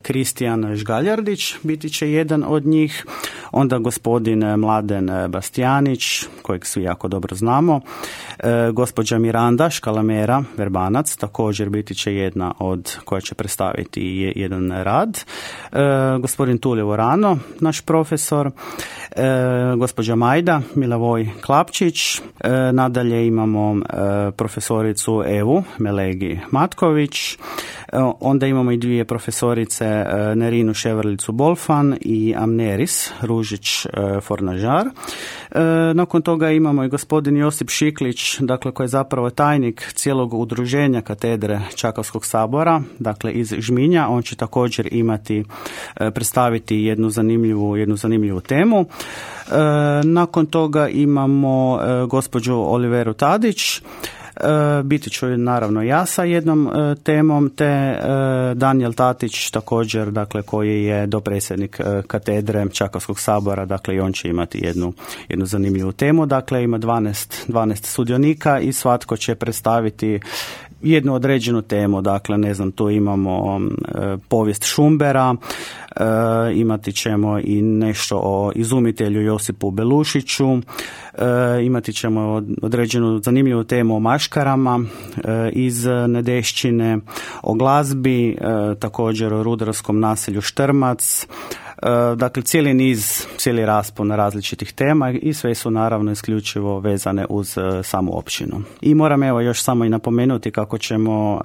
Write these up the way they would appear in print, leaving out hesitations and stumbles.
Kristijan Žgaljardić biti će jedan od njih, onda gospodin Mladen Bastjanić, kojeg svi jako dobro znamo, gospođa Miranda Škalamera Verbanac, također biti će jedna od koja će predstaviti jedan rad, gospodin Tulio Vorano, naš profesor, gospođa Majda Milavoj Klapčić, nadalje imamo profesoricu Evu Melegi Matković, onda imamo i dvije profesorice Nerinu Ševrlicu Bolfan i Amneris Ružić Fornažar. Nakon toga imamo i gospodin Josip Šiklić, dakle koji je zapravo tajnik cijelog udruženja katedre Čakavskog sabora, dakle iz Žminja. On će također imati, predstaviti jednu zanimljivu temu. Nakon toga imamo gospođu Oliveru Tadić, biti ću naravno ja sa jednom temom, te Danijel Tatić također, dakle koji je dopredsjednik katedre Čakavskog sabora, dakle i on će imati jednu zanimljivu temu. Dakle ima 12 sudionika i svatko će predstaviti jednu određenu temu, dakle ne znam, tu imamo povijest Šumbera, imati ćemo i nešto o izumitelju Josipu Belušiću, imati ćemo određenu zanimljivu temu o maškarama iz Nedešćine, o glazbi, također o rudarskom naselju Štrmac, dakle cijeli raspon različitih tema i sve su naravno isključivo vezane uz samu općinu. I moram još samo i napomenuti kako ćemo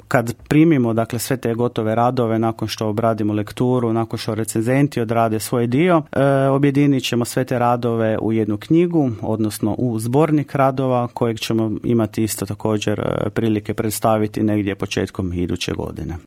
kad primimo dakle sve te gotove radove, nakon što obradimo lekturu, nakon što recenzenti odrade svoj dio, objedinit ćemo sve te radove u jednu knjigu, odnosno u zbornik radova kojeg ćemo imati isto također prilike predstaviti negdje početkom iduće godine.